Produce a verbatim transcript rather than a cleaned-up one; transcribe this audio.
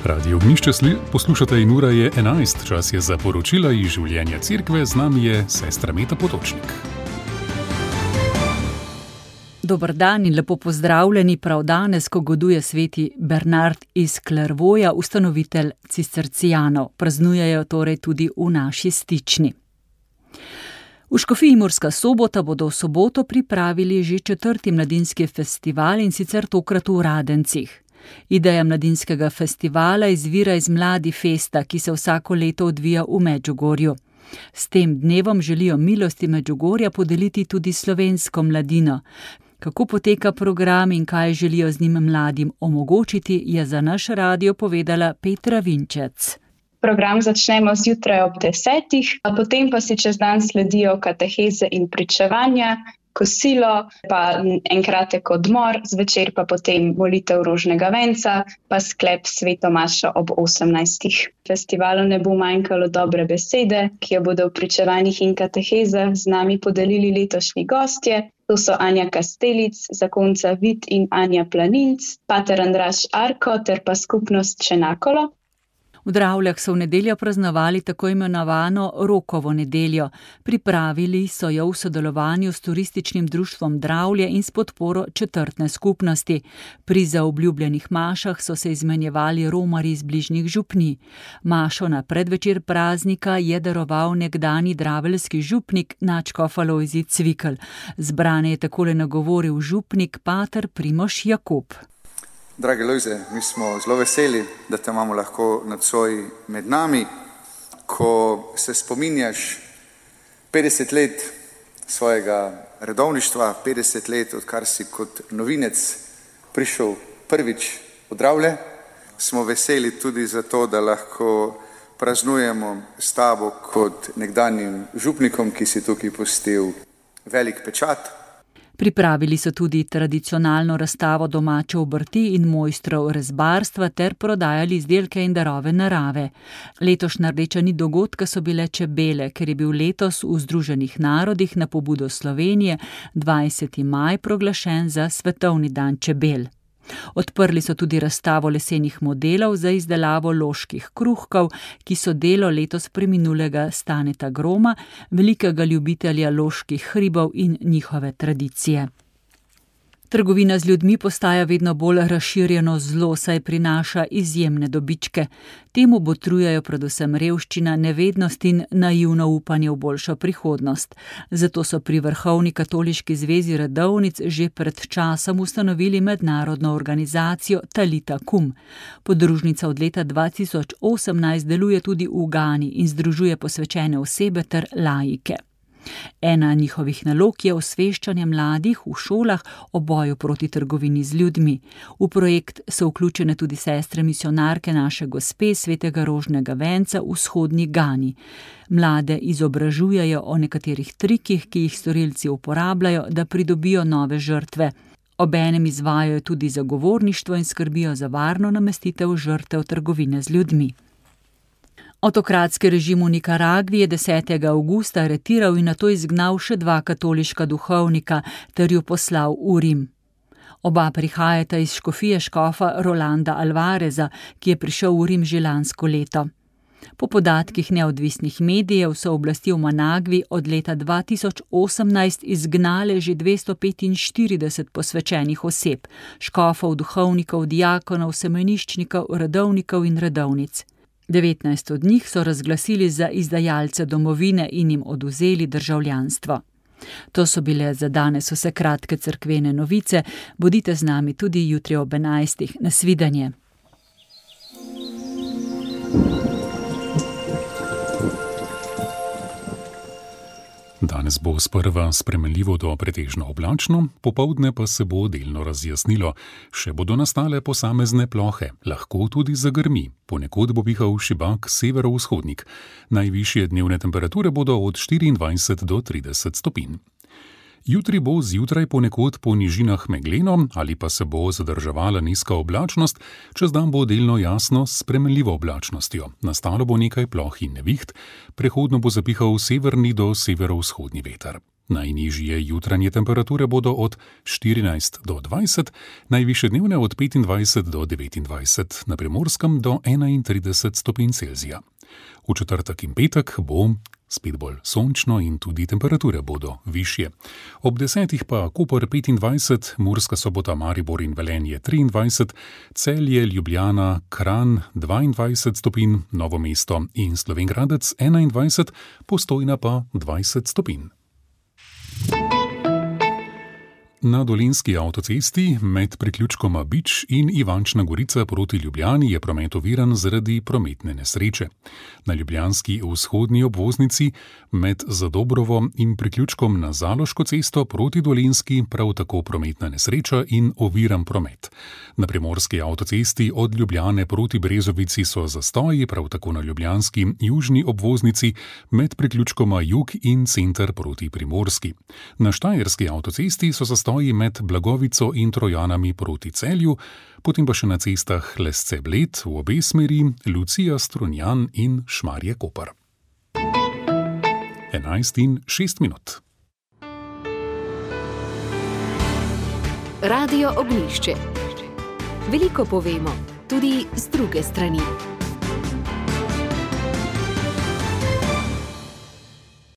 Radio Ognjišče poslušate in ura je enajst, čas je za poročila iz življenja cerkve, z nami je sestra Meta Potočnik. Dober dan in lepo pozdravljeni prav danes, ko goduje sveti Bernard iz Clairvauxa, ustanovitelj cistercijanov. Praznujejo torej tudi v naši stični. V škofiji Murska Sobota bodo v soboto pripravili že četrti mladinski festival, in sicer tokrat v Radencih. Ideja mladinskega festivala izvira iz Mladi festa, ki se vsako leto odvija v Medžugorju. S tem dnevom želijo milosti Medžugorja podeliti tudi slovensko mladino. Kako poteka program in kaj želijo z njim mladim omogočiti, je za naš radio povedala Petra Vinčec. Program začnemo zjutraj ob desetih, a potem pa si čez dan sledijo kateheze in pričevanja, kosilo, pa en kratek odmor, zvečer pa potem molitev rožnega venca, pa sklep sveto mašo ob osemnajstih. Festivalu ne bo manjkalo dobre besede, ki jo bodo v pričevanjih in katehezah z nami podelili letošnji gostje. To so Anja Kastelic, zakonca Vid in Anja Planinc, pater Andraž Arko ter pa skupnost Čenakolo. V Dravljah so v nedeljo praznovali tako imenovano Rokovo nedeljo. Pripravili so jo v sodelovanju s turističnim društvom Dravlje in s podporo četrtne skupnosti. Pri zaobljubljenih mašah so se izmenjevali romarji iz bližnjih župnij. Mašo na predvečer praznika je daroval nekdanji draveljski župnik nadškof Alojzij Cvikl. Zbrane je takole nagovoril župnik pater Primož Jakob. Dragi Lojze, mi smo zelo veseli, da te imamo lahko nocoj med nami, ko se spominjaš petdeset let svojega redovništva, petdeset let, odkar si kot novinec prišel prvič v Dravlje. Smo veseli tudi zato, da lahko praznujemo s tabo kot nekdanjim župnikom, ki si tukaj pustil velik pečat. Pripravili so tudi tradicionalno razstavo domače obrti in mojstrov rezbarstva ter prodajali izdelke in darove narave. Letošnja rdeča nit dogodka so bile čebele, ker je bil letos v Združenih narodih na pobudo Slovenije dvajseti maj proglašen za svetovni dan čebel. Odprli so tudi razstavo lesenih modelov za izdelavo loških kruhkov, ki so delo letos preminulega Staneta Groma, velikega ljubitelja loških hribov in njihove tradicije. Trgovina z ljudmi postaja vedno bolj razširjeno zlo, saj prinaša izjemne dobičke. Temu botrujejo predvsem revščina, nevednost in naivno upanje v boljšo prihodnost. Zato so pri Vrhovni katoliški zvezi redovnic že pred časom ustanovili mednarodno organizacijo Talita Kum. Podružnica od leta dva tisoč osemnajst deluje tudi v Gani in združuje posvečene osebe ter laike. Ena njihovih nalog je osveščanje mladih v šolah o boju proti trgovini z ljudmi. V projekt so vključene tudi sestre misionarke naše gospe svetega rožnega venca v vzhodni Gani. Mlade izobražujejo o nekaterih trikih, ki jih storilci uporabljajo, da pridobijo nove žrtve. Obenem izvajajo tudi zagovorništvo in skrbijo za varno namestitev žrtev trgovine z ljudmi. Avtokratski režim v Nikaragvi je desetega avgusta aretiral in nato izgnal še dva katoliška duhovnika ter ju poslal v Rim. Oba prihajata iz škofije škofa Rolanda Alvareza, ki je prišel v Rim že lansko leto. Po podatkih neodvisnih medijev so oblasti v Managvi od leta dva tisoč osemnajst izgnale že dvesto petinštirideset posvečenih oseb, škofov, duhovnikov, diakonov, semeniščnikov, redovnikov in redovnic. devetnajst od njih so razglasili za izdajalce domovine in jim odvzeli državljanstvo. To so bile za danes vse kratke cerkvene novice. Bodite z nami tudi jutri ob enajstih. Nasvidenje. Danes bo sprva spremenljivo do pretežno oblačno, popoldne pa se bo delno razjasnilo. Še bodo nastale posamezne plohe, lahko tudi zagrmi. Ponekod bo pihal šibak severovzhodnik. Najvišje dnevne temperature bodo od štiriindvajset do trideset stopinj. Jutri bo zjutraj ponekod po nižinah megleno ali pa se bo zadrževala nizka oblačnost, čez dan bo delno jasno s spremenljivo oblačnostjo. Nastalo bo nekaj ploh in neviht, prehodno bo zapihal severni do severovzhodni veter. Najnižje jutranje temperature bodo od štirinajst do dvajset, najvišje dnevne od petindvajset do devetindvajset, na Primorskem do enaintrideset stopinj Celzija. V četrtek in petek bo spet bolj sončno in tudi temperature bodo višje. Ob desetih pa Koper petindvajset, Murska Sobota, Maribor in Velenje triindvajset, Celje, Ljubljana, Kranj dvaindvajset stopinj, Novo mesto in Slovenj Gradec enaindvajset, Postojna pa dvajset stopinj. Na Dolenjski avtocesti med priključkoma Bič in Ivančna Gorica proti Ljubljani je promet oviran zaradi prometne nesreče. Na ljubljanski vzhodni obvoznici med Zadobrovo in priključkom na Zaloško cesto proti Dolenjski prav tako prometna nesreča in oviran promet. Na primorski avtocesti od Ljubljane proti Brezovici so zastoji, prav tako na ljubljanski južni obvoznici med priključkoma Jug in Center proti Primorski. Na štajerski avtocesti so zastoji med Blagovico in Trojanami proti Celju, potem pa še na cestah Lesce-Bled v obe smeri, Lucija, Strunjan in Šmarje-Koper. enajst in šest minut. Radio Ognjišče. Veliko povemo, tudi z druge strani.